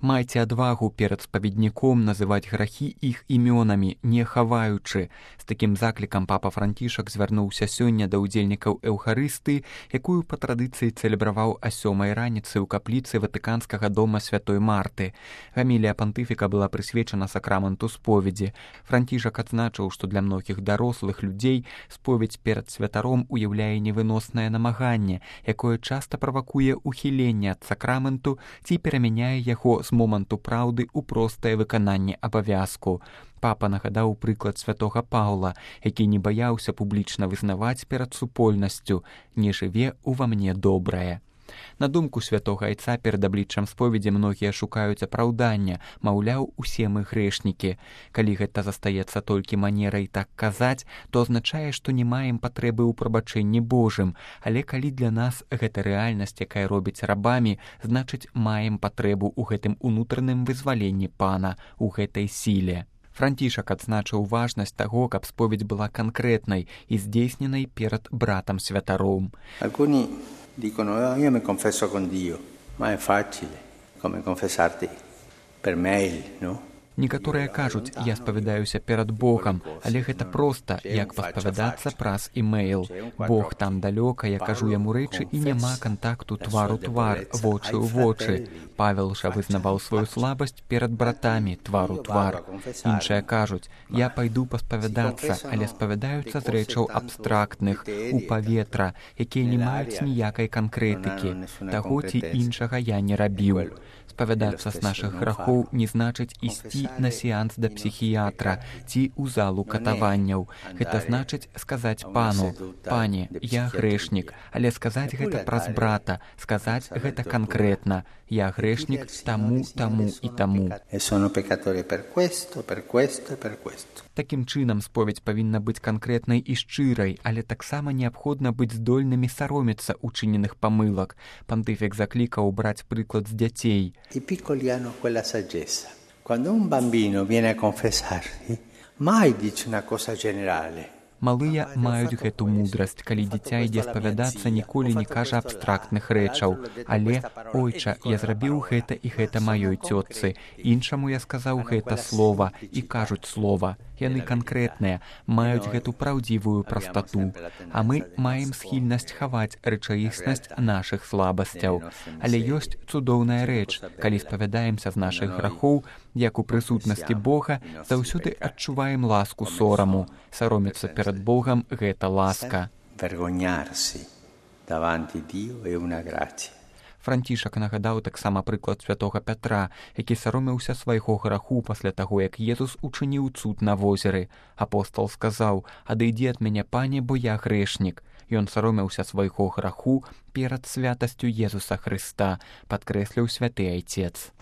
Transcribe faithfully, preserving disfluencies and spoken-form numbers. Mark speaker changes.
Speaker 1: Майце адвагу перад спаведніком называць грахі іх імёнамі, не хаваючы. З такім заклікам папа Францішак звярнуўся сёння да ўдзельнікаў эўхарысты, якую па традыцыі цэлебраваў а сёмай раніцы ў капліцы Ватыканскага дома святой Марты. Гамілія пантыфіка была прысвечана сакраменту споведзі. Францішак адзначыў, што для многіх дарослых людзей споведзь перад святаром уяўляе невыноснае намаганне, якое часта правакуе ухіленне ад сакраменту ці перамяняе яго з моманту праўды ў простае выкананне абавязку. Папа нагадаў прыклад святога Паўла, які не баяўся публічна вызнаваць перад супольнасцю «Не жыве ува мне добрае». На думку святога айца перад абліччам споведзі многія шукаюць апраўдання, маўляў, усе мы грэшнікі. Калі гэта застаецца толькі манерай так казаць, то азначае, што не маем патрэбы ў прабачэнні Божым, але калі для нас гэта рэальнасць, якая робіць рабамі, значыць, маем патрэбу ў гэтым унутраным вызваленні Пана, у гэтай сіле. Францішак адзначыў важнасць таго, каб споведь была канкрэтнай і здзейсненай перад братам святаром.
Speaker 2: Dicono, oh, io mi confesso con Dio, ma è facile, come confessarti per mail, no?
Speaker 1: Некаторыя кажуць, я спавядаюся перад Богам, але гэта проста, як паспавядацца праз імейл. Бог там далёка, я кажу яму рэчы і няма кантакту твар у твар, вочы ў вочы. Павел жа вызнаваў сваю слабасць перад братамі, твар у твар. Іншыя кажуць, я пайду паспавядацца, але спавядаюцца з рэчаў абстрактных, у паветра, якія не маюць ніякай канкрэтыкі. Таго ці іншага я не рабіў. Спавядацца з нашых грахоў не значыць ісці на сеанс да псіхіятра ці ў залу катаванняў. Гэта значыць сказаць Пану, «Пане, я грэшнік», але сказаць гэта праз брата, сказаць гэта канкрэтна. Я грэшнік таму, таму і таму. Такім чынам споведь павінна быць канкрэтнай і шчырай, але таксама неабходна быць здольнымі саромецца учыненых памылак. Пантыфік заклікаў браць прыклад з дзяцей.
Speaker 2: I piccoli hanno quella saggezza. Quando un bambino viene a confessarsi, mai dice una cosa generale.
Speaker 1: Малыя маюць гэту мудрасць, калі дзіця ідзе спавядацца, ніколі не кажа абстрактных рэчаў. Але, ойча, я зрабіў гэта і гэта маёй цётцы. Іншаму я сказаў гэта слова і кажуць слова. Яны канкрэтныя, маюць гэту праўдзівую прастату. А мы маем схільнасць хаваць рэчаіснасць нашых слабасцяў. Але ёсць цудоўная рэч, калі спавядаемся з нашых грахоў, як у прысутнасці Бога, заўсёды адчуваем ласку сораму. Саромецца перад Богам гэта ласка.
Speaker 2: Vergognarsi davanti Dio è una grazia.
Speaker 1: Францішак нагадаў таксама прыклад святога Пятра, які саромеўся свайго граху пасля таго, як Езус учыніў цуд на возеры. Апостал сказаў, «Адыдзі ад мяне, Пане, бо я грэшнік». Ён саромеўся свайго граху перад святасцю Езуса Хрыста, падкрэсліў святы айцец.